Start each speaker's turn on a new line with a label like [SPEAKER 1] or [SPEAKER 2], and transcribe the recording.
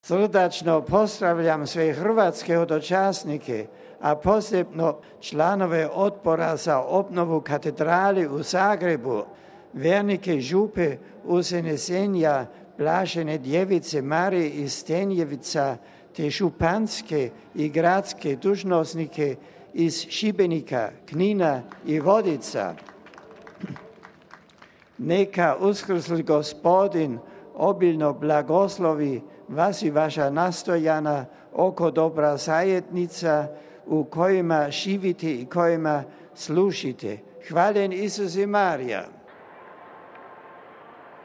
[SPEAKER 1] Srdačno pozdravljam sve hrvatske hodočasnike, a posebno članove Odbora za obnovu katedrali u Zagrebu, vernike župe Usenesenja Blažene djevice Marije iz Stenjevica, te županske i gradske dužnosnike iz Šibenika, Knina i Vodica. Neka uskrsli Gospodin obilno blagoslovi vas i vaša nastojana oko dobra zajednica u kojima živite i kojima služite. Hvaljen Isus i Marija.